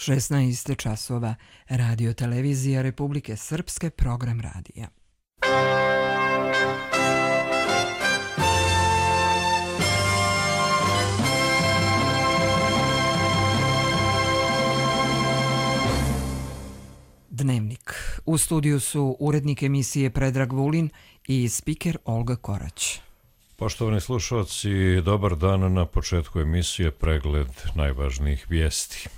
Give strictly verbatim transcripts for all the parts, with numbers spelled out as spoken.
šesnaest časova, Radio Televizija Republike Srpske, program radija. Dnevnik. U studiju su urednik emisije Predrag Vulin i spiker Olga Korać. Poštovani slušalci, dobar dan. Na početku emisije pregled najvažnijih vijesti.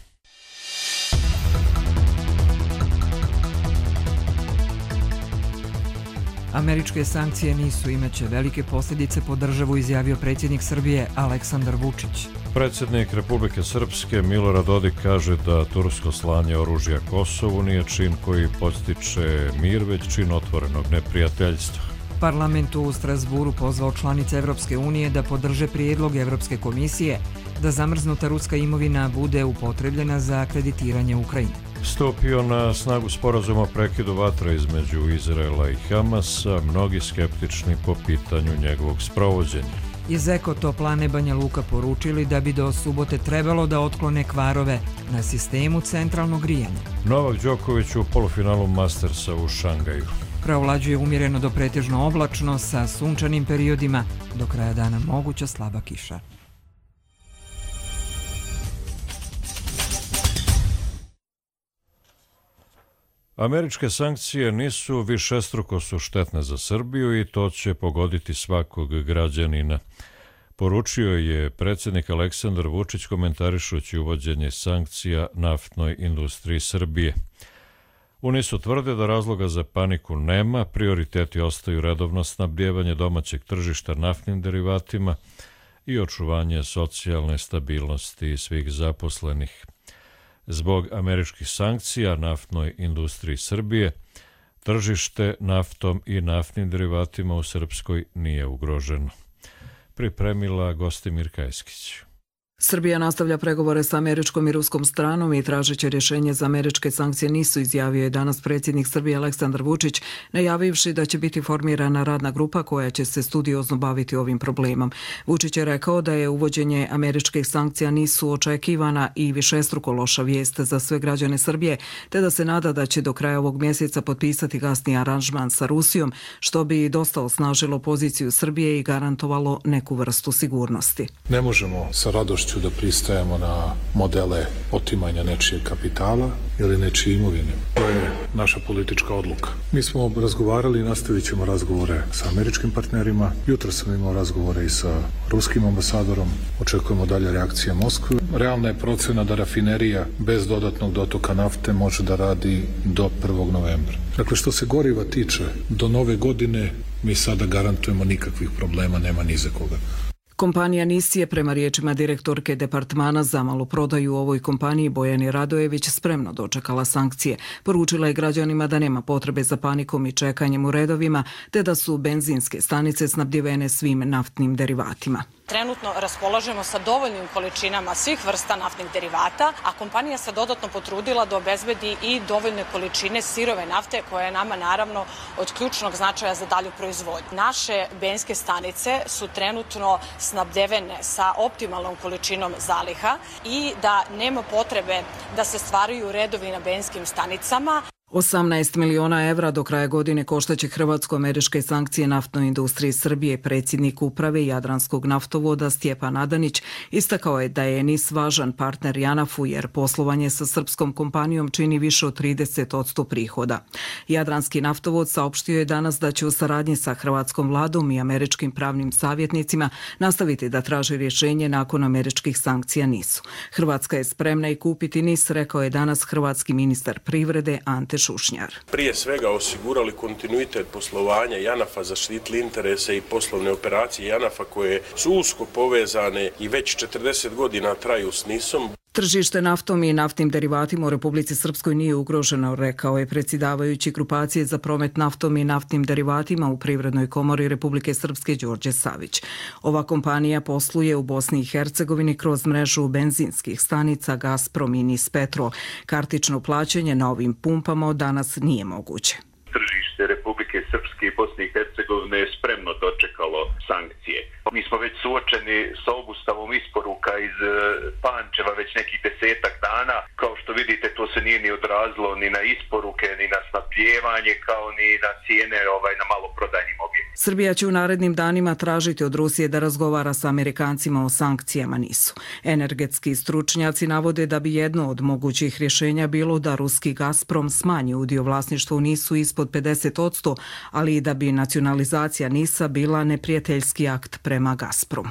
Američke sankcije nisu, imaće velike posljedice po državu, izjavio predsjednik Srbije Aleksandar Vučić. Predsjednik Republike Srpske Milorad Dodik kaže da tursko slanje oružja Kosovu nije čin koji podstiče mir, već čin otvorenog neprijateljstva. Parlament u Strasburu pozvao članice Evropske unije da podrže prijedlog Evropske komisije da zamrznuta ruska imovina bude upotrebljena za kreditiranje Ukrajine. Stupio na snagu sporazum o prekidu vatre između Izraela i Hamasa, mnogi skeptični po pitanju njegovog sprovođenja. Iz Ekotoplane Banja Luka poručili da bi do subote trebalo da otklone kvarove na sistemu centralnog grijanja. Novak Đoković u polufinalu Mastersa u Šangaju. Preovlađuje umjereno do pretežno oblačno sa sunčanim periodima, do kraja dana moguća slaba kiša. Američke sankcije nisu višestruko su štetne za Srbiju i to će pogoditi svakog građanina. Poručio je predsjednik Aleksandar Vučić komentarišući uvođenje sankcija naftnoj industriji Srbije. U NIS-u tvrde da razloga za paniku nema, prioriteti ostaju redovno snabdijevanje domaćeg tržišta naftnim derivatima i očuvanje socijalne stabilnosti svih zaposlenih. Zbog američkih sankcija naftnoj industriji Srbije, tržište naftom i naftnim derivatima u Srpskoj nije ugroženo. Pripremila Gostimir Kajskić. Srbija nastavlja pregovore sa američkom i ruskom stranom i tražeće rješenje za američke sankcije nisu, izjavio je danas predsjednik Srbije Aleksandar Vučić, najavivši da će biti formirana radna grupa koja će se studiozno baviti ovim problemom. Vučić je rekao da je uvođenje američkih sankcija nisu očekivana i višestruko loša vijest za sve građane Srbije, te da se nada da će do kraja ovog mjeseca potpisati gasni aranžman sa Rusijom, što bi dosta osnažilo poziciju Srbije i garantovalo neku vrstu sigurnosti. Ne možemo sa radošću da pristajemo na modele otimanja nečijeg kapitala ili nečije imovine. To je naša politička odluka. Mi smo razgovarali i nastavit ćemo razgovore sa američkim partnerima. Jutro sam imao razgovore i sa ruskim ambasadorom. Očekujemo dalje reakcije Moskve. Realna je procena da rafinerija bez dodatnog dotoka nafte može da radi do prvog novembra. Dakle, što se goriva tiče, do nove godine mi sada garantujemo nikakvih problema, nema ni za koga. Kompanija NIS je prema riječima direktorke departmana za maloprodaju u ovoj kompaniji Bojani Radojević spremno dočekala sankcije. Poručila je građanima da nema potrebe za panikom i čekanjem u redovima, te da su benzinske stanice snabdjevene svim naftnim derivatima. Trenutno raspolažemo sa dovoljnim količinama svih vrsta naftnih derivata, a kompanija se dodatno potrudila da obezbedi i dovoljne količine sirove nafte, koja je nama naravno od ključnog značaja za dalju proizvodnju. Naše benzinske stanice su trenutno snabdevene sa optimalnom količinom zaliha i da nema potrebe da se stvaraju redovi na benzinskim stanicama. osamnaest miliona evra do kraja godine koštaće hrvatsko-američke sankcije naftnoj industriji Srbije. Predsjednik uprave Jadranskog naftovoda Stjepan Adanić istakao je da je NIS važan partner Janafu jer poslovanje sa srpskom kompanijom čini više od trideset posto prihoda. Jadranski naftovod saopštio je danas da će u saradnji sa hrvatskom vladom i američkim pravnim savjetnicima nastaviti da traži rješenje nakon američkih sankcija NIS-u. Hrvatska je spremna i kupiti NIS, rekao je danas hrvatski ministar privrede Ante Šušnjar. Prije svega osigurali kontinuitet poslovanja Janafa, zaštitili interese i poslovne operacije Janafa koje su usko povezane i već četrdeset godina traju s NIS-om. Tržište naftom i naftnim derivatima u Republici Srpskoj nije ugroženo, rekao je predsjedavajući grupacije za promet naftom i naftnim derivatima u Privrednoj komori Republike Srpske Đorđe Savić. Ova kompanija posluje u Bosni i Hercegovini kroz mrežu benzinskih stanica Gazprom i NIS Petrol. Kartično plaćanje na ovim pumpama danas nije moguće. Tržište Republike Srpske i Bosne i Hercegovine je spremno dočekalo povukalo sankcije. Mi smo već suočeni sa obustavom isporuka iz Pančeva već nekih desetak dana. Kao što vidite, to se nije ni odrazilo ni na isporuke, ni na snabdijevanje, kao ni na cijene ovaj, na maloprodajnim objektima. Srbija će u narednim danima tražiti od Rusije da razgovara sa Amerikancima o sankcijama nisu. Energetski stručnjaci navode da bi jedno od mogućih rješenja bilo da ruski Gazprom smanji udio vlasništva u nisu ispod pedeset posto, ali i da bi nacionalizacija nisa bila neprijateljski akt prema Gazpromu.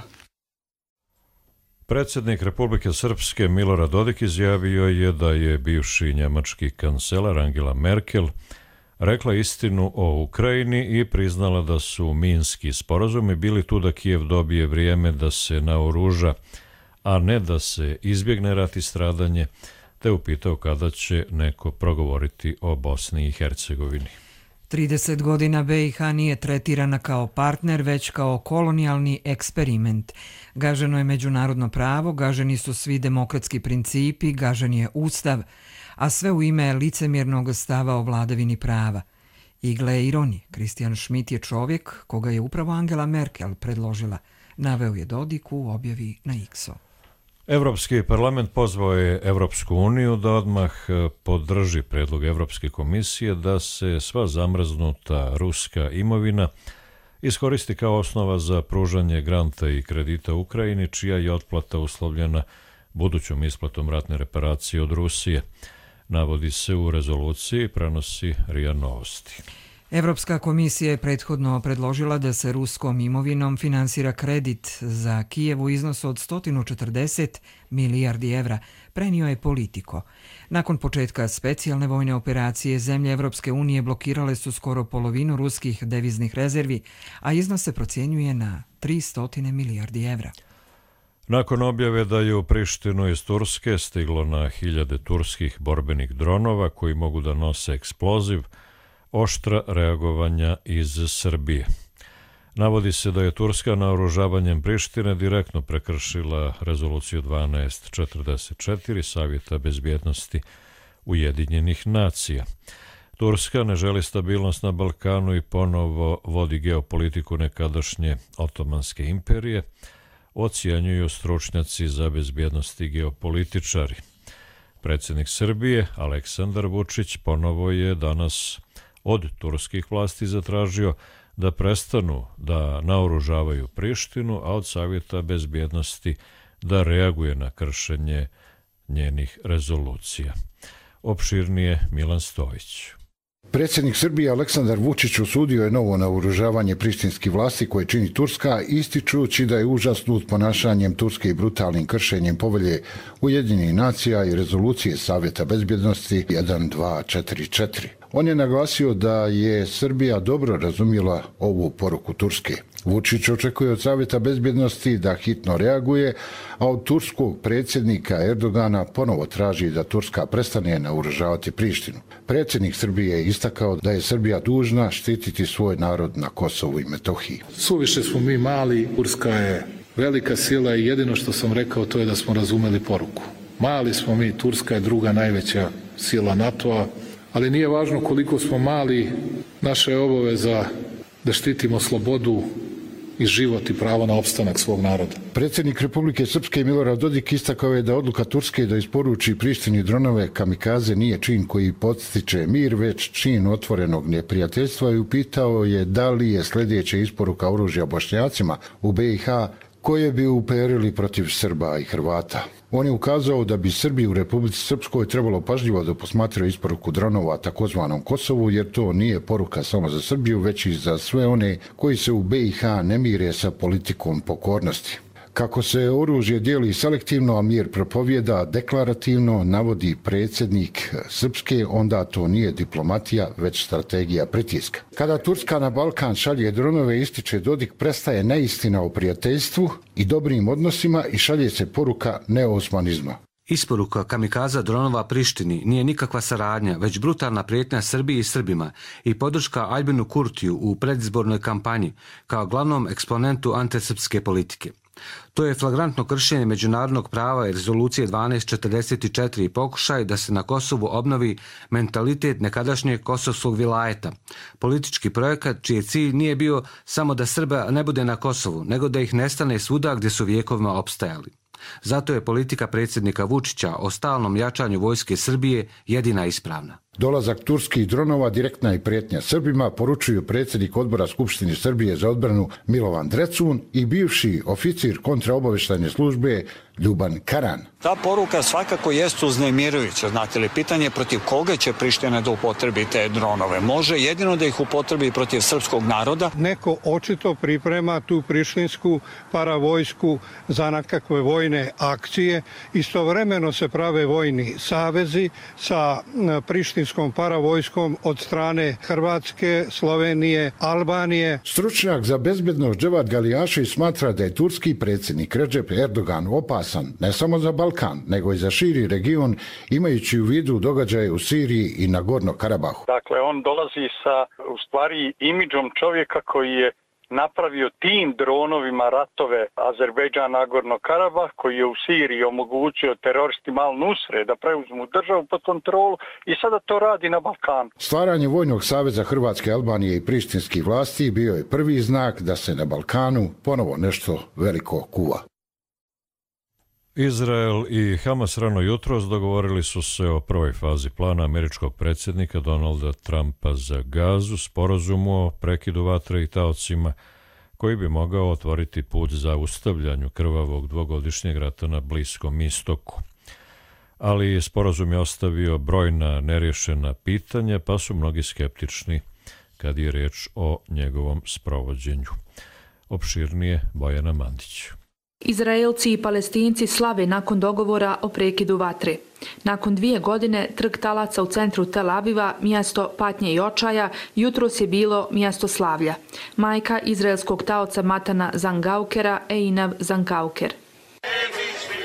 Predsjednik Republike Srpske Milorad Dodik izjavio je da je bivši njemački kancelar Angela Merkel rekla istinu o Ukrajini i priznala da su minski sporazumi bili tu da Kijev dobije vrijeme da se naoruža, a ne da se izbjegne rat i stradanje, te upitao kada će neko progovoriti o Bosni i Hercegovini. trideset godina B i H nije tretirana kao partner, već kao kolonijalni eksperiment. Gaženo je međunarodno pravo, gaženi su svi demokratski principi, gažen je ustav, a sve u ime licemjernog stava o vladavini prava. I gle ironije, Christian Schmidt je čovjek koga je upravo Angela Merkel predložila, naveo je Dodik u objavi na X-u. Evropski parlament pozvao je Evropsku uniju da odmah podrži predlog Evropske komisije da se sva zamrznuta ruska imovina iskoristi kao osnova za pružanje granta i kredita Ukrajini, čija je otplata uslovljena budućom isplatom ratne reparacije od Rusije. Navodi se u rezoluciji, prenosi R I A Novosti. Evropska komisija je prethodno predložila da se ruskom imovinom finansira kredit za Kijev u iznosu od sto četrdeset milijardi evra, prenio je Politico. Nakon početka specijalne vojne operacije, zemlje Evropske unije blokirale su skoro polovinu ruskih deviznih rezervi, a iznos se procjenjuje na tristo milijardi evra. Nakon objave da je u Prištinu iz Turske stiglo na hiljade turskih borbenih dronova koji mogu da nose eksploziv, oštra reagovanja iz Srbije. Navodi se da je Turska naoružavanjem Prištine direktno prekršila rezoluciju dvanaest četrdeset četiri Savjeta bezbjednosti Ujedinjenih nacija. Turska ne želi stabilnost na Balkanu i ponovo vodi geopolitiku nekadašnje Otomanske imperije, ocjenjuju stručnjaci za bezbjednost i geopolitičari. Predsjednik Srbije Aleksandar Vučić ponovo je danas od turskih vlasti zatražio da prestanu da naoružavaju Prištinu, a od Savjeta bezbjednosti da reaguje na kršenje njenih rezolucija. Opširnije Milan Stojić. Predsjednik Srbije Aleksandar Vučić osudio je novo naoružavanje prištinskih vlasti koje čini Turska, ističući da je užasnut ponašanjem Turske i brutalnim kršenjem povelje Ujedinjenih nacija i rezolucije Savjeta bezbjednosti jedan dva četiri četiri. On je naglasio da je Srbija dobro razumjela ovu poruku Turske. Vučić očekuje od Savjeta bezbjednosti da hitno reaguje, a od turskog predsjednika Erdogana ponovo traži da Turska prestane naoružavati Prištinu. Predsjednik Srbije je istakao da je Srbija dužna štititi svoj narod na Kosovu i Metohiji. Suviše smo mi mali, Turska je velika sila i jedino što sam rekao to je da smo razumeli poruku. Mali smo mi, Turska je druga najveća sila NATO-a, ali nije važno koliko smo mali, naša je obaveza da štitimo slobodu i život i pravo na opstanak svog naroda. Predsjednik Republike Srpske Milorad Dodik istakao je da odluka Turske da isporuči Prištini dronove kamikaze nije čin koji podstiče mir, već čin otvorenog neprijateljstva i upitao je da li je sljedeća isporuka oružja Bošnjacima u B i H koje bi uperili protiv Srba i Hrvata. On je ukazao da bi Srbi u Republici Srpskoj trebalo pažljivo da posmatraju isporuku dronova takozvanom Kosovu, jer to nije poruka samo za Srbiju, već i za sve one koji se u B i H ne mire sa politikom pokornosti. Kako se oružje dijeli selektivno, a mir propovjeda deklarativno, navodi predsjednik Srpske, onda to nije diplomatija, već strategija pritiska. Kada Turska na Balkan šalje dronove, ističe Dodik, prestaje neistina o prijateljstvu i dobrim odnosima i šalje se poruka neosmanizma. Isporuka kamikaza dronova Prištini nije nikakva saradnja, već brutalna prijetnja Srbiji i Srbima i podrška Aljbinu Kurtiju u predizbornoj kampanji kao glavnom eksponentu antisrpske politike. To je flagrantno kršenje međunarodnog prava i rezolucije dvanaest četrdeset četiri i pokušaj da se na Kosovu obnovi mentalitet nekadašnjeg kosovskog vilajeta. Politički projekat čiji cilj nije bio samo da Srba ne bude na Kosovu, nego da ih nestane svuda gdje su vjekovima opstajali. Zato je politika predsjednika Vučića o stalnom jačanju vojske Srbije jedina ispravna. Dolazak turskih dronova direktna je prijetnja Srbima, poručuju predsjednik odbora Skupštine Srbije za odbranu Milovan Drecun i bivši oficir kontraobavještajne službe Ljuban Karan. Ta poruka svakako jeste uznemirujuća. Znate li, pitanje protiv koga će Priština da upotrebi te dronove? Može jedino da ih upotrebi protiv srpskog naroda. Neko očito priprema tu prištinsku paravojsku za nekakve vojne akcije. Istovremeno se prave vojni savezi sa prištinskom paravojskom od strane Hrvatske, Slovenije, Albanije. Stručnjak za bezbednost Dževad Galijašić smatra da je turski predsjednik Recep Erdogan opasan ne samo za Balkan, nego i za širi region, imajući u vidu događaje u Siriji i Nagorno Karabahu. Dakle, on dolazi sa, u stvari, imidžom čovjeka koji je napravio tim dronovima ratove Azerbejdžan Nagorno Karabah, koji je u Siriji omogućio teroristima Al-Nusre da preuzmu državu pod kontrolu i sada to radi na Balkanu. Stvaranje Vojnog saveza Hrvatske, Albanije i prištinskih vlasti bio je prvi znak da se na Balkanu ponovo nešto veliko kuva. Izrael i Hamas rano jutros dogovorili su se o prvoj fazi plana američkog predsjednika Donalda Trumpa za Gazu, sporazumu o prekidu vatre i taocima, koji bi mogao otvoriti put za ustavljanju krvavog dvogodišnjeg rata na Bliskom istoku. Ali sporazum je ostavio brojna nerješena pitanja, pa su mnogi skeptični kad je riječ o njegovom sprovođenju. Opširnije Bojana Mandić. Izraelci i Palestinci slave nakon dogovora o prekidu vatre. Nakon dvije godine trg talaca u centru Tel Aviva, mjesto patnje i očaja, jutros je bilo mjesto slavlja. Majka izraelskog taoca Matana Zangaukera, Einav Zangauker.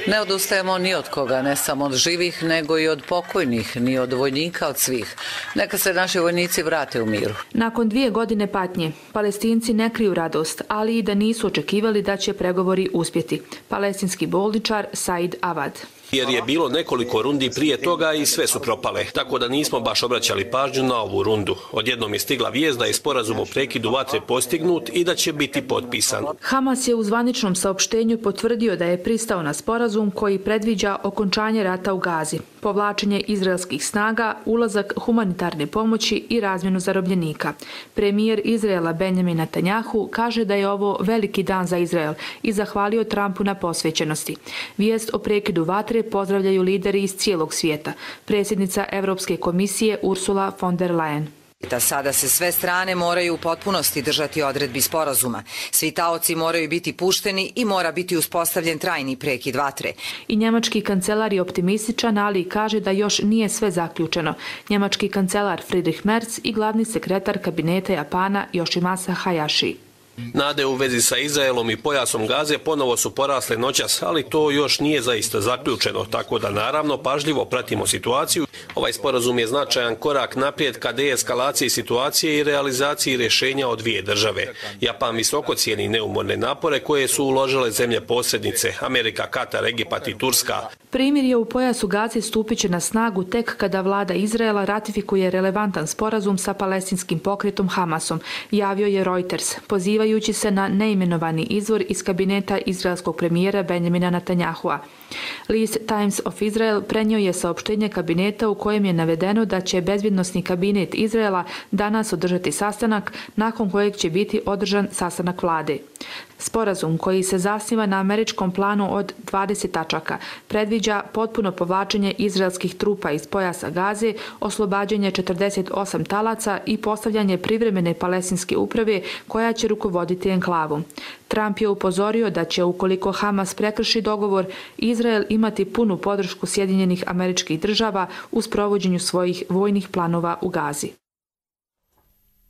Ne odustajemo ni od koga, ne samo od živih, nego i od pokojnih, ni od vojnika, od svih. Neka se naši vojnici vrate u miru. Nakon dvije godine patnje, Palestinci ne kriju radost, ali i da nisu očekivali da će pregovori uspjeti. Palestinski bolničar Said Avad. Jer je bilo nekoliko rundi prije toga i sve su propale, tako da nismo baš obraćali pažnju na ovu rundu. Odjednom je stigla vijest da je sporazum o prekidu vatre postignut i da će biti potpisan. Hamas je u zvaničnom saopštenju potvrdio da je pristao na sporazum koji predviđa okončanje rata u Gazi, povlačenje izraelskih snaga, ulazak humanitarne pomoći i razmjenu zarobljenika. Premijer Izraela Benjamin Netanjahu kaže da je ovo veliki dan za Izrael i zahvalio Trumpu na posvećenosti. Vijest o prekidu vatre pozdravljaju lideri iz cijelog svijeta. Predsjednica Europske komisije Ursula von der Leyen. Da sada se sve strane moraju u potpunosti držati odredbi sporazuma. Svi taoci moraju biti pušteni i mora biti uspostavljen trajni prekid vatre. I njemački kancelar je optimističan, ali kaže da još nije sve zaključeno. Njemački kancelar Friedrich Merz i glavni sekretar kabineta Japana Yoshimasa Hayashi. Nade u vezi sa Izraelom i pojasom Gaze ponovo su porasle noćas, ali to još nije zaista zaključeno, tako da naravno pažljivo pratimo situaciju. Ovaj sporazum je značajan korak naprijed ka deeskalaciji situacije i realizaciji rješenja od dvije države. Japan visoko cijeni neumorne napore koje su uložile zemlje posrednice, Amerika, Katar, Egipat i Turska. Primirje u pojasu Gaze stupit će na snagu tek kada vlada Izraela ratifikuje relevantan sporazum sa palestinskim pokretom Hamasom, javio je Reuters, pozivajući se na neimenovani izvor iz kabineta izraelskog premijera Benjamina Netanyahua. List Times of Israel prenio je saopštenje kabineta u kojem je navedeno da će bezbjednosni kabinet Izraela danas održati sastanak, nakon kojeg će biti održan sastanak vlade. Sporazum, koji se zasniva na američkom planu od dvadeset tačaka, predviđa potpuno povlačenje izraelskih trupa iz pojasa Gaze, oslobađanje četrdeset osam talaca i postavljanje privremene palestinske uprave koja će rukovoditi enklavom. Trump je upozorio da će, ukoliko Hamas prekrši dogovor, Izrael imati punu podršku Sjedinjenih Američkih Država u sprovođenju svojih vojnih planova u Gazi.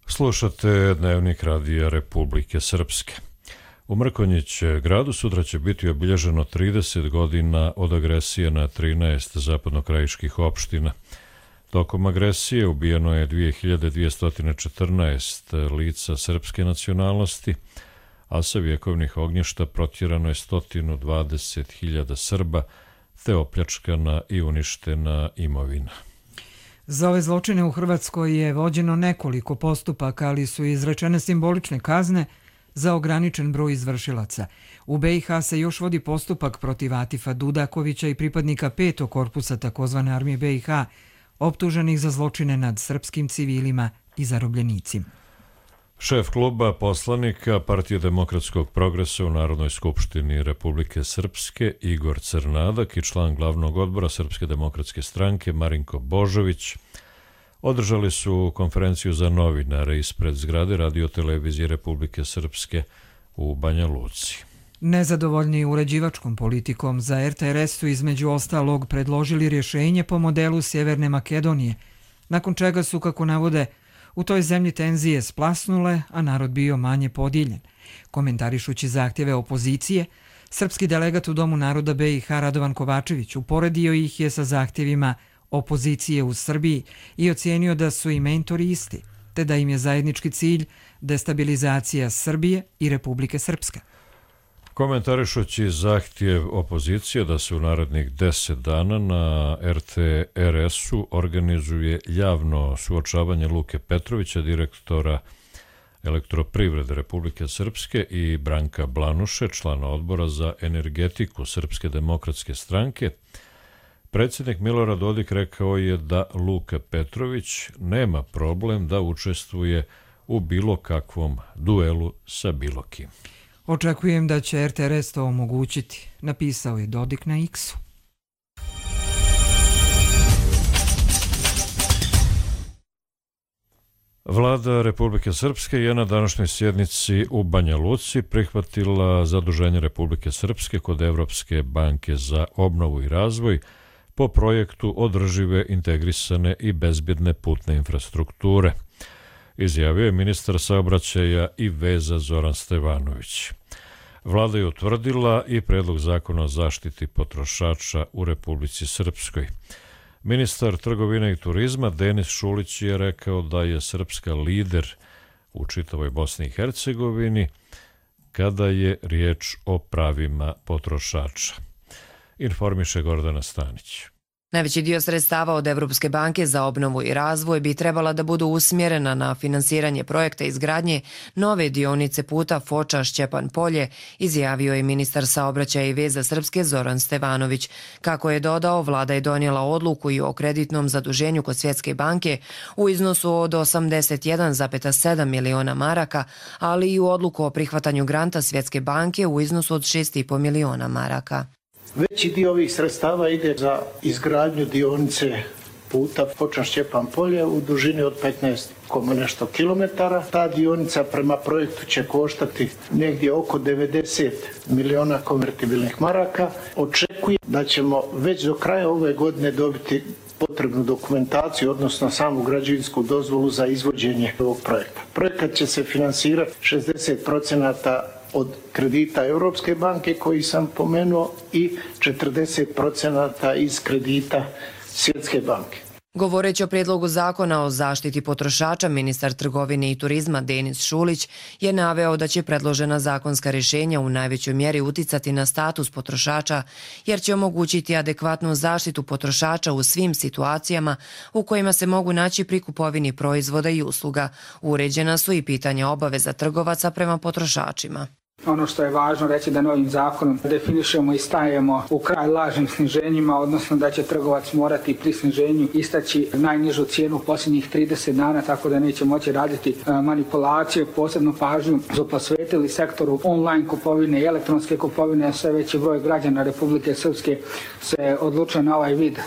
Slušate Dnevnik Radija Republike Srpske. U Mrkonjić gradu sutra će biti obilježeno trideset godina od agresije na trinaest zapadnokrajiških opština. Tokom agresije ubijeno je dvije hiljade dvjesto četrnaest lica srpske nacionalnosti, a sa vjekovnih ognjišta protjerano je sto dvadeset hiljada Srba, te opljačkana i uništena imovina. Za ove zločine u Hrvatskoj je vođeno nekoliko postupaka, ali su izrečene simbolične kazne za ograničen broj izvršilaca. U B i H se još vodi postupak protiv Atifa Dudakovića i pripadnika petog korpusa takozvane armije B i H, optuženih za zločine nad srpskim civilima i zarobljenicima. Šef kluba poslanika Partije demokratskog progresa u Narodnoj skupštini Republike Srpske Igor Crnadak i član glavnog odbora Srpske demokratske stranke Marinko Božović održali su konferenciju za novinare ispred zgrade Radio-televizije Republike Srpske u Banja Luci. Nezadovoljni uređivačkom politikom za R T R S su između ostalog predložili rješenje po modelu Sjeverne Makedonije, nakon čega su, kako navode, u toj zemlji tenzije splasnule, a narod bio manje podijeljen. Komentarišući zahtjeve opozicije, srpski delegat u Domu naroda B i H Radovan Kovačević uporedio ih je sa zahtjevima opozicije u Srbiji i ocijenio da su i mentori isti, te da im je zajednički cilj destabilizacija Srbije i Republike Srpske. Komentarišući zahtjev opozicije da se u narednih deset dana na R T R S-u organizuje javno suočavanje Luke Petrovića, direktora Elektroprivrede Republike Srpske, i Branka Blanuše, člana odbora za energetiku Srpske demokratske stranke, predsjednik Milorad Dodik rekao je da Luka Petrović nema problem da učestvuje u bilo kakvom duelu sa bilo kim. Očekujem da će R T R S to omogućiti, napisao je Dodik na X-u. Vlada Republike Srpske je na današnjoj sjednici u Banja Luci prihvatila zaduženje Republike Srpske kod Evropske banke za obnovu i razvoj po projektu održive, integrisane i bezbjedne putne infrastrukture, izjavio je ministar saobraćaja i veza Zoran Stevanović. Vlada je utvrdila i predlog zakona o zaštiti potrošača u Republici Srpskoj. Ministar trgovine i turizma Denis Šulić je rekao da je Srpska lider u čitavoj Bosni i Hercegovini kada je riječ o pravima potrošača. Informiše Gordana Stanić. Najveći dio sredstava od Evropske banke za obnovu i razvoj bi trebala da budu usmjerena na finansiranje projekta izgradnje nove dionice puta Foča-Šćepan Polje, izjavio je ministar saobraćaja i veza Srpske Zoran Stevanović. Kako je dodao, vlada je donijela odluku i o kreditnom zaduženju kod Svjetske banke u iznosu od osamdeset jedan zarez sedam miliona maraka, ali i u odluku o prihvatanju granta Svjetske banke u iznosu od šest i po miliona maraka. Veći dio ovih sredstava ide za izgradnju dionice puta Foča-Šćepan Polje u dužini od petnaest nešto kilometara. Ta dionica prema projektu će koštati negdje oko devedeset miliona konvertibilnih maraka. Očekujem da ćemo već do kraja ove godine dobiti potrebnu dokumentaciju, odnosno samu građevinsku dozvolu za izvođenje ovog projekta. Projekat će se finansirati šezdeset procenata od kredita Europske banke koji sam pomenuo i četrdeset procenata iz kredita Svjetske banke. Govoreći o prijedlogu zakona o zaštiti potrošača, ministar trgovine i turizma Denis Šulić je naveo da će predložena zakonska rješenja u najvećoj mjeri uticati na status potrošača, jer će omogućiti adekvatnu zaštitu potrošača u svim situacijama u kojima se mogu naći pri kupovini proizvoda i usluga. Uređena su i pitanja obaveza trgovaca prema potrošačima. Ono što je važno reći da novim zakonom definišemo i stajemo u kraj lažnim sniženjima, odnosno da će trgovac morati pri sniženju istaći najnižu cijenu posljednjih trideset dana, tako da neće moći raditi manipulacije. Posebnu pažnju su posvetili sektoru online kupovine i elektronske kupovine. Sve veći broj građana Republike Srpske se odlučuje na ovaj vid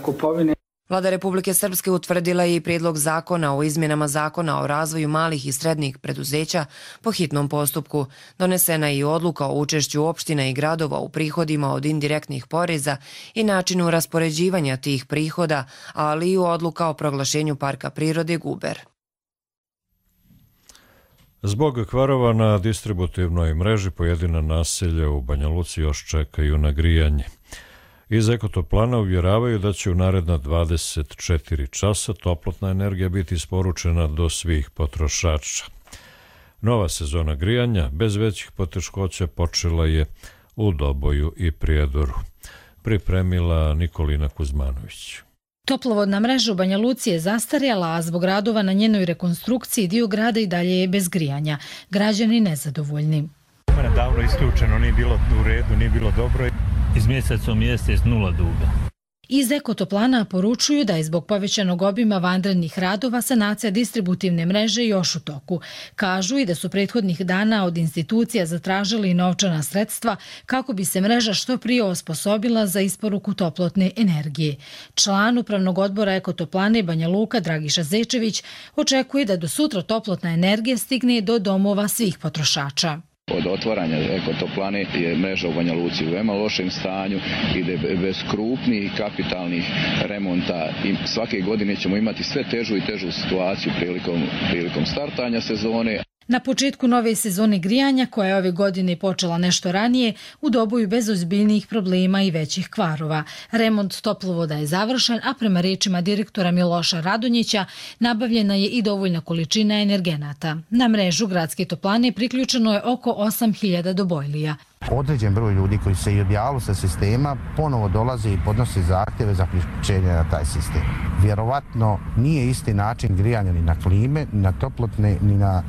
kupovine. Vlada Republike Srpske utvrdila je i prijedlog zakona o izmjenama zakona o razvoju malih i srednjih preduzeća po hitnom postupku. Donesena je i odluka o učešću opština i gradova u prihodima od indirektnih poreza i načinu raspoređivanja tih prihoda, ali i odluka o proglašenju parka prirode Guber. Zbog kvarova na distributivnoj mreži pojedina naselja u Banja Luci još čekaju na grijanje. Iz Ekotoplana uvjeravaju da će u naredna dvadeset četiri časa toplotna energija biti isporučena do svih potrošača. Nova sezona grijanja bez većih poteškoća počela je u Doboju i Prijedoru. Pripremila Nikolina Kuzmanović. Toplovodna mreža u Banja Luci je zastarjela, a zbog radova na njenoj rekonstrukciji dio grada i dalje je bez grijanja. Građani nezadovoljni. Davno isključeno, nije bilo u redu, nije bilo dobro. Iz mjeseca u mjesec nula duga. Iz Ekotoplana poručuju da je zbog povećanog obima vanrednih radova sanacija distributivne mreže još u toku. Kažu i da su prethodnih dana od institucija zatražili novčana sredstva kako bi se mreža što prije osposobila za isporuku toplotne energije. Član upravnog odbora Ekotoplane Banja Luka Dragiša Zečević očekuje da do sutra toplotna energija stigne do domova svih potrošača. Od otvaranja Ekotoplane je mreža u Banja Luci u veoma lošem stanju, ide bez krupnih kapitalnih remonta i svake godine ćemo imati sve težu i težu situaciju prilikom, prilikom startanja sezone. Na početku nove sezone grijanja, koja je ove godine počela nešto ranije, u Doboju bez ozbiljnijih problema i većih kvarova. Remont toplovoda je završen, a prema rečima direktora Miloša Radonjića nabavljena je i dovoljna količina energenata. Na mrežu gradske toplane priključeno je oko osam hiljada dobojlija. Određen broj ljudi koji se i odjavili sa sistema ponovo dolaze i podnose zahtjeve za priključenje na taj sistem. Vjerovatno nije isti način grijanja ni na klime, ni na toplotne, ni na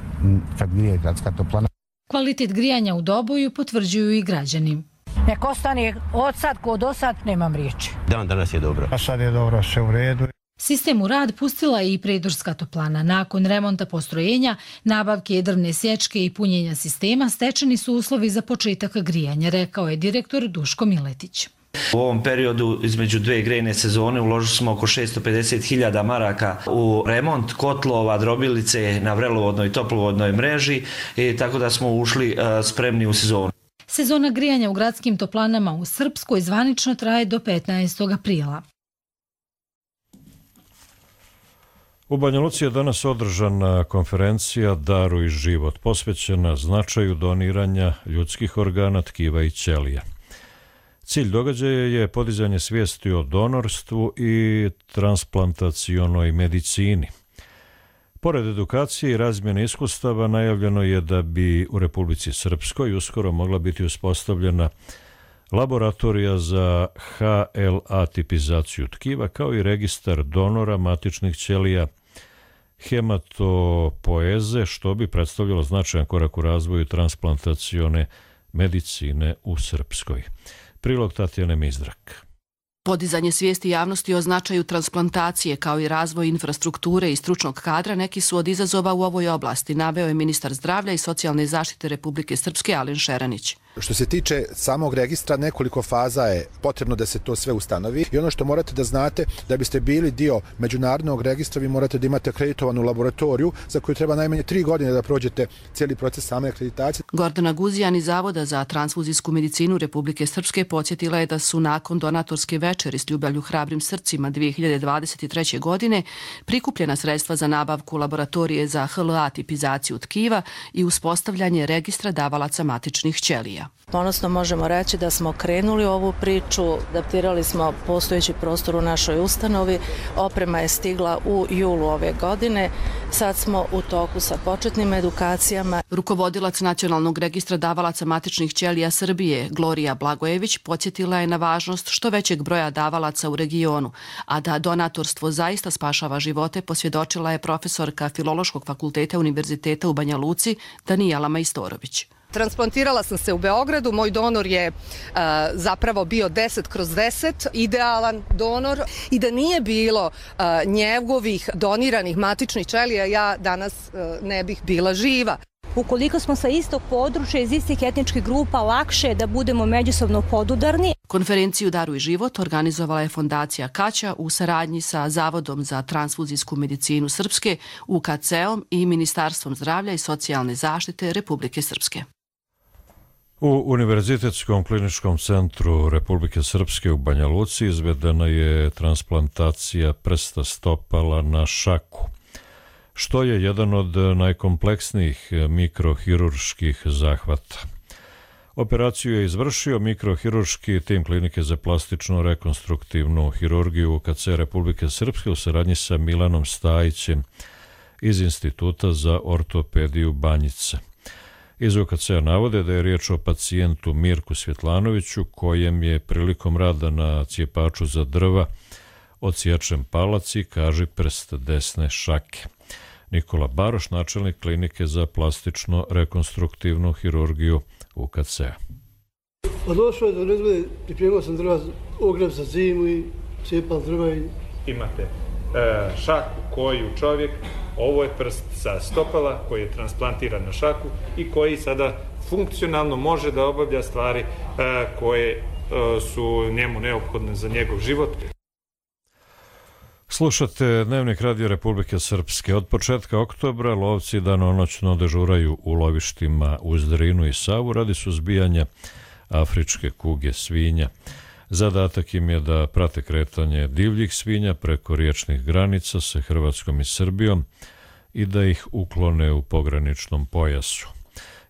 kad grije gradska toplana. Kvalitet grijanja u Doboju potvrđuju i građani. Nek ostane od sad kod osad, nemam riječi. Dan danas je dobro. A sad je dobro, sve u redu. Sistem u rad pustila je i Prijedorska toplana. Nakon remonta postrojenja, nabavke drvne sječke i punjenja sistema stečeni su uslovi za početak grijanja, rekao je direktor Duško Miletić. U ovom periodu između dve grejne sezone uložili smo oko šesto pedeset hiljada maraka u remont kotlova, drobilice na vrelovodnoj i toplovodnoj mreži, i tako da smo ušli spremni u sezonu. Sezona grijanja u gradskim toplanama u Srpskoj zvanično traje do petnaestog aprila. U Banja Luci je danas održana konferencija Daruj život, posvećena značaju doniranja ljudskih organa, tkiva i ćelija. Cilj događaja je podizanje svijesti o donorstvu i transplantacionoj medicini. Pored edukacije i razmjene iskustava, najavljeno je da bi u Republici Srpskoj uskoro mogla biti uspostavljena laboratorija za H L A tipizaciju tkiva, kao i registar donora matičnih ćelija hematopoeze, što bi predstavljalo značajan korak u razvoju transplantacione medicine u Srpskoj. Prilog Tatjane Mizdrak. Podizanje svijesti javnosti o značaju transplantacije kao i razvoj infrastrukture i stručnog kadra neki su od izazova u ovoj oblasti, naveo je ministar zdravlja i socijalne zaštite Republike Srpske Alen Šeranić. Što se tiče samog registra, nekoliko faza je potrebno da se to sve ustanovi i ono što morate da znate, da biste bili dio međunarodnog registra, vi morate da imate akreditovanu laboratoriju za koju treba najmanje tri godine da prođete cijeli proces same akreditacije. Gordana Guzijan iz Zavoda za transfuzijsku medicinu Republike Srpske podsjetila je da su nakon donatorske večeri s ljubavlju hrabrim srcima dvije hiljade dvadeset treće. godine prikupljena sredstva za nabavku laboratorije za H L A tipizaciju tkiva i uspostavljanje registra davalaca matičnih ćelija. Ponosno možemo reći da smo krenuli ovu priču, adaptirali smo postojeći prostor u našoj ustanovi, oprema je stigla u julu ove godine, sad smo u toku sa početnim edukacijama. Rukovodilac Nacionalnog registra davalaca matičnih ćelija Srbije, Glorija Blagojević, podsjetila je na važnost što većeg broja davalaca u regionu, a da donatorstvo zaista spašava živote, posvjedočila je profesorka Filološkog fakulteta Univerziteta u Banja Luci Danijela Majstorović. Transplantirala sam se u Beogradu, moj donor je uh, zapravo bio deset kroz deset, idealan donor, i da nije bilo uh, njegovih doniranih matičnih ćelija, ja danas uh, ne bih bila živa. Ukoliko smo sa istog područja, iz istih etničkih grupa, lakše je da budemo međusobno podudarni. Konferenciju Daruj život organizovala je Fondacija Kaća u saradnji sa Zavodom za transfuzijsku medicinu Srpske, U K C-om i Ministarstvom zdravlja i socijalne zaštite Republike Srpske. U Univerzitetskom kliničkom centru Republike Srpske u Banja Luci izvedena je transplantacija prsta stopala na šaku, što je jedan od najkompleksnijih mikrohirurških zahvata. Operaciju je izvršio mikrohirurški tim Klinike za plastičnu rekonstruktivnu hirurgiju U K C Republike Srpske u saradnji sa Milanom Stajićem iz Instituta za ortopediju Banjica. Iz U K C-a navode da je riječ o pacijentu Mirku Svjetlanoviću, kojem je prilikom rada na cijepaču za drva odsječen palac i kaži prst desne šake. Nikola Baroš, načelnik klinike za plastično-rekonstruktivnu hirurgiju U K C-a. Pa došlo je do nezgode, pripremao sam drva, ogreb za zimu i cijepal drva i... Imate e, šaku koju čovjek, ovo je prst sa stopala koji je transplantiran na šaku i koji sada funkcionalno može da obavlja stvari e, koje e, su njemu neophodne za njegov život. Slušate Dnevnik Radio Republike Srpske. Od početka oktobra lovci danonoćno dežuraju u lovištima uz Drinu i Savu radi suzbijanja afričke kuge svinja. Zadatak im je da prate kretanje divljih svinja preko riječnih granica sa Hrvatskom i Srbijom i da ih uklone u pograničnom pojasu.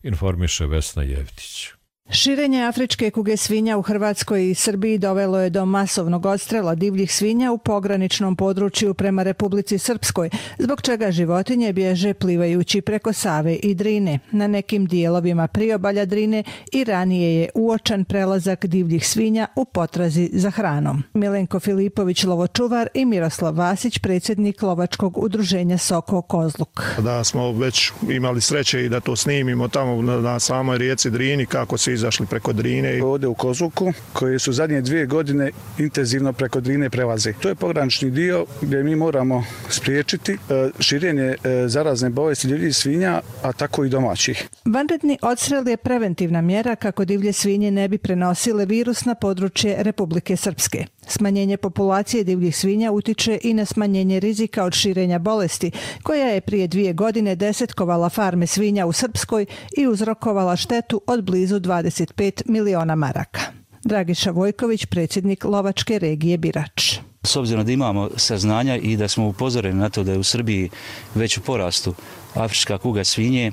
Informiše Vesna Jevtić. Širenje afričke kuge svinja u Hrvatskoj i Srbiji dovelo je do masovnog odstrela divljih svinja u pograničnom području prema Republici Srpskoj, zbog čega životinje bježe plivajući preko Save i Drine. Na nekim dijelovima priobalja Drine i ranije je uočan prelazak divljih svinja u potrazi za hranom. Milenko Filipović, lovočuvar, i Miroslav Vasić, predsjednik lovačkog udruženja Soko Kozluk. Da smo već imali sreće i da to snimimo tamo na, na samoj rijeci Drini, kako se izašli preko Drine. Ovdje u Kozluku, koji su zadnje dvije godine intenzivno preko Drine prelaze. To je pogranični dio gdje mi moramo spriječiti širenje zarazne bolesti divljih svinja, a tako i domaćih. Vanredni odstrel je preventivna mjera kako divlje svinje ne bi prenosile virus na područje Republike Srpske. Smanjenje populacije divljih svinja utiče i na smanjenje rizika od širenja bolesti, koja je prije dvije godine desetkovala farme svinja u Srpskoj i uzrokovala štetu od blizu dvadeset pet miliona maraka. Dragiša Vojković, predsjednik lovačke regije Birač. S obzirom da imamo saznanja i da smo upozoreni na to da je u Srbiji već u porastu afrička kuga svinje,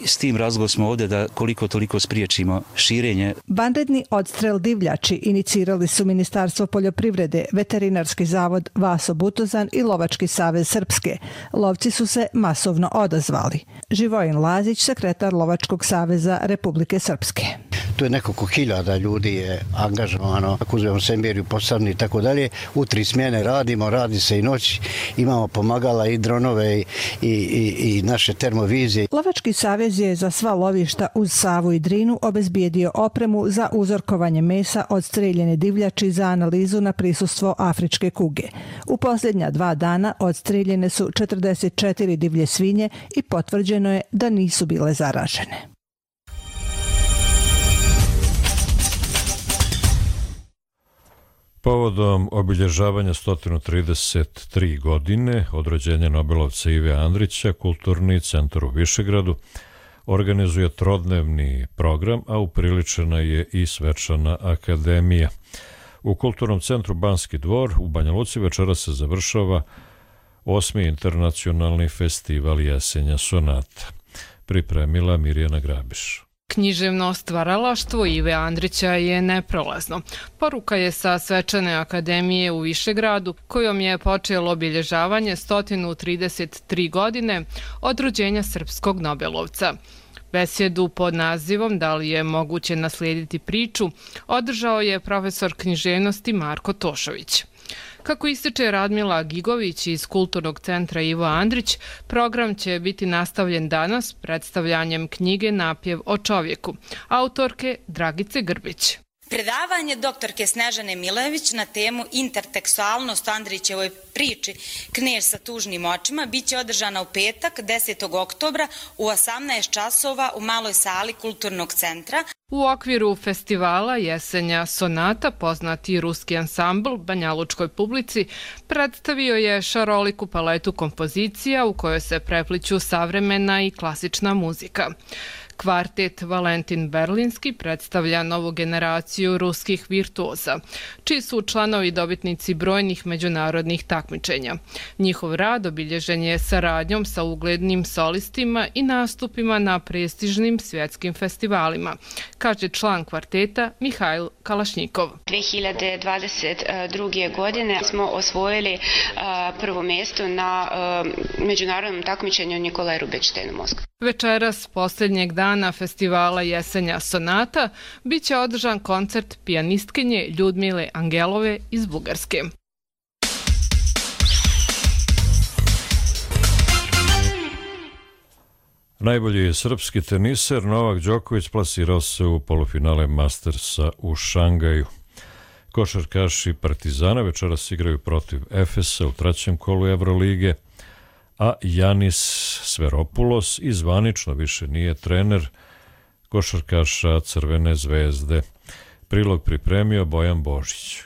s tim razlogom smo ovdje da koliko toliko spriječimo širenje. Vanredni odstrel divljači inicirali su Ministarstvo poljoprivrede, Veterinarski zavod Vaso Butozan i Lovački savez Srpske. Lovci su se masovno odazvali. Živojin Lazić, sekretar Lovačkog saveza Republike Srpske. Tu je nekoliko hiljada ljudi je angažovano, ako uzmemo Semberiju, Posavni i tako dalje. U tri smjene radimo, radi se i noć, imamo pomagala i dronove i, i, i naše termovizije. Lovački savez je za sva lovišta uz Savu i Drinu obezbijedio opremu za uzorkovanje mesa od streljene divljači za analizu na prisustvo afričke kuge. U posljednja dva dana odstreljene su četrdeset četiri divlje svinje i potvrđeno je da nisu bile zaražene. Povodom obilježavanja sto trideset tri godine od rođenja Nobelovca Ive Andrića, Kulturni centar u Višegradu organizuje trodnevni program, a upriličena je i svečana akademija. U Kulturnom centru Banski dvor u Banja Luci večera se završava osmi internacionalni festival Jesenja sonata. Pripremila Mirjana Grabiš. Književno stvaralaštvo Ive Andrića je neprolazno. Poruka je sa svečane akademije u Višegradu, kojom je počelo obilježavanje sto trideset tri godine od rođenja srpskog Nobelovca. Besjedu pod nazivom Da li je moguće naslijediti priču održao je profesor književnosti Marko Tošović. Kako ističe Radmila Gigović iz Kulturnog centra Ivo Andrić, program će biti nastavljen danas predstavljanjem knjige Napjev o čovjeku, autorke Dragice Grbić. Predavanje doktorke Snežane Milević na temu intertekstualnost Andrićevoj priči Knez sa tužnim očima biće održana u petak desetog oktobra u osamnaest časova u maloj sali Kulturnog centra. U okviru festivala Jesenja sonata poznati ruski ansambl banjalučkoj publici predstavio je šaroliku paletu kompozicija u kojoj se prepliću savremena i klasična muzika. Kvartet Valentin Berlinski predstavlja novu generaciju ruskih virtuoza, čiji su članovi dobitnici brojnih međunarodnih takmičenja. Njihov rad obilježen je saradnjom sa uglednim solistima i nastupima na prestižnim svjetskim festivalima, kaže član kvarteta Mihajl Kalašnjikov. dvije hiljade dvadeset druge. godine smo osvojili prvo mjesto na međunarodnom takmičenju Nikolaj Rubinštajn u Moskvi. Večeras, posljednjeg dana festivala Jesenja sonata, bit će održan koncert pijanistkinje Ljudmile Angelove iz Bugarske. Najbolji srpski teniser Novak Đoković plasirao se u polufinale Mastersa u Šangaju. Košarkaši Partizana večeras igraju protiv Efesa u trećem kolu Evrolige, a Janis Sveropulos i zvanično više nije trener košarkaša Crvene zvezde. Prilog pripremio Bojan Božić.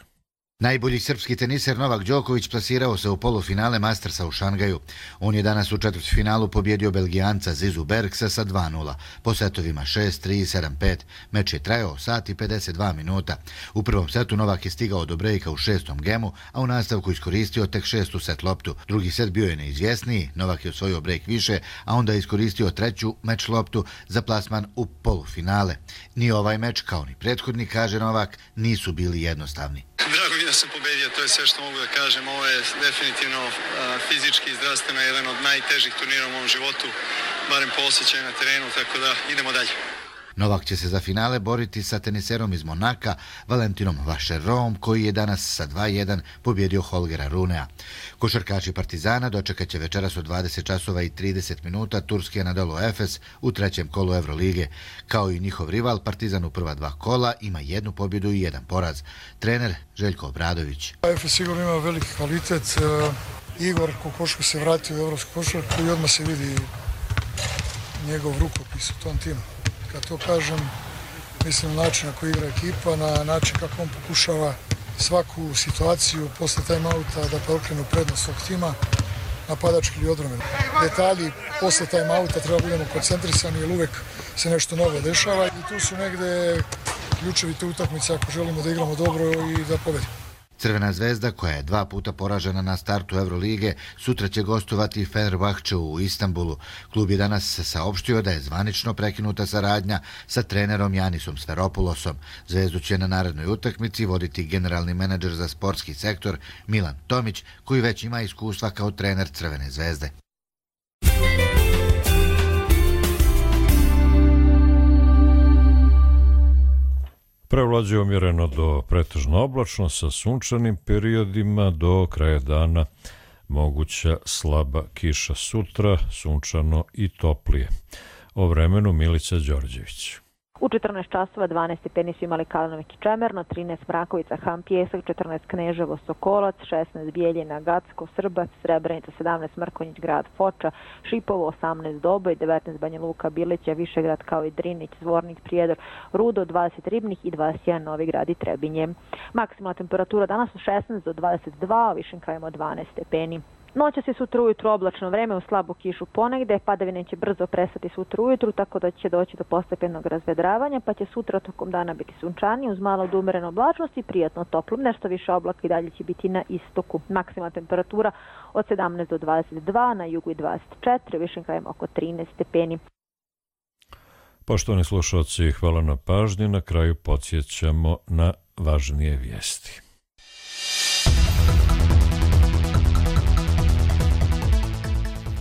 Najbolji srpski teniser Novak Đoković plasirao se u polufinale Mastersa u Šangaju. On je danas u četvrtfinalu pobjedio Belgijanca Zizu Bergsa sa dva nula, po setovima šest tri, sedam pet. Meč je trajao sat i pedeset dva minuta. U prvom setu Novak je stigao do brejka u šestom gemu, a u nastavku iskoristio tek šestu set loptu. Drugi set bio je neizvjesniji, Novak je osvojio brejk više, a onda je iskoristio treću meč loptu za plasman u polufinale. Ni ovaj meč, kao ni prethodni, kaže Novak, nisu bili jednostavni. Drago mi da sam pobedio, to je sve što mogu da kažem. Ovo je definitivno a, fizički i zdravstveno jedan od najtežih turnira u mom životu, barem po osjećaju na terenu, tako da idemo dalje. Novak će se za finale boriti sa teniserom iz Monaka, Valentinom Vašerovom, koji je danas sa dva jedan pobjedio Holgera Runea. Košarkaši Partizana dočekat će večeras od dvadeset časova i trideset minuta turski Anadolu Efes u trećem kolu Evrolige. Kao i njihov rival, Partizan u prva dva kola ima jednu pobjedu i jedan poraz. Trener Željko Obradović. Efes sigurno ima veliki kvalitet. Igor Kokoško se vratio u evropsku košarku i odmah se vidi njegov rukopis u tom timu. Kad to kažem, mislim na način na koji igra ekipa, na način kako on pokušava svaku situaciju posle time-outa da preokrenu prednost svog tima, napadački ili odbrambeni. Detalji posle time-outa treba budemo koncentrisani jer uvek se nešto novo dešava i tu su negde ključevi te utakmice ako želimo da igramo dobro i da pobedimo. Crvena zvezda, koja je dva puta poražena na startu Evrolige, sutra će gostovati Fenerbahčeu u Istanbulu. Klub je danas saopštio da je zvanično prekinuta saradnja sa trenerom Janisom Sveropulosom. Zvezdu će na narednoj utakmici voditi generalni menadžer za sportski sektor Milan Tomić, koji već ima iskustva kao trener Crvene zvezde. Prevlađuje umjereno do pretežno oblačno sa sunčanim periodima, do kraja dana moguća slaba kiša, sutra sunčano i toplije. O vremenu Milica Đorđević. U četrnaest časova dvanaest stepeni su imali Kalanović i Čemerno, trinaest Mrakovica, Han Pjesak, četrnaest Kneževo, Sokolac, šesnaest Bijeljina, Gacko, Srbac, Srebrenica, sedamnaest Mrkonjić, grad Foča, Šipovo, osamnaest Doboj, devetnaest Banja Luka, Bileća, Višegrad kao i Drinić, Zvornik, Prijedor, Rudo, dvadeset Ribnih i dvadeset jedan Novi Grad i Trebinje. Maksimalna temperatura danas od šesnaest do dvadeset dva, a višim krajem od dvanaest stepeni. Noća se sutra ujutru oblačno vreme u slabu kišu ponegde, padavine će brzo prestati sutra ujutru, tako da će doći do postepenog razvedravanja, pa će sutra tokom dana biti sunčanije uz malo do umerene oblačnosti i prijatno toplo. Nešto više oblaka i dalje će biti na istoku. Maksimalna temperatura od sedamnaest do dvadeset dva, na jugu i dvadeset četiri, višim krajem oko trinaest stepeni. Poštovani slušalci, hvala na pažnji. Na kraju podsjećamo na važnije vijesti.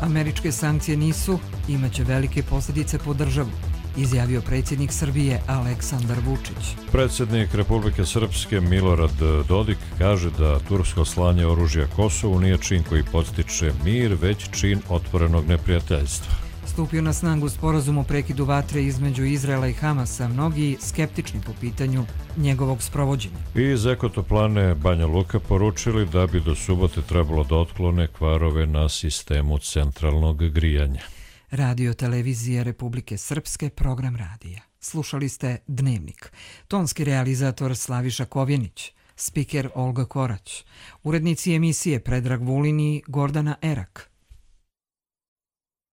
Američke sankcije nisu, imaće velike posljedice po državu, izjavio predsjednik Srbije Aleksandar Vučić. Predsjednik Republike Srpske Milorad Dodik kaže da tursko slanje oružja Kosovu nije čin koji podstiče mir, već čin otvorenog neprijateljstva. Stupio na snagu sporazum o prekidu vatre između Izraela i Hamasa, mnogi skeptični po pitanju njegovog sprovođenja. Iz Ekotoplane Banja Luka poručili da bi do subote trebalo da otklone kvarove na sistemu centralnog grijanja. Radio televizije Republike Srpske, program radija. Slušali ste Dnevnik. Tonski realizator Slaviša Kovjenić, spiker Olga Korać, urednici emisije Predrag Vulin i Gordana Erak.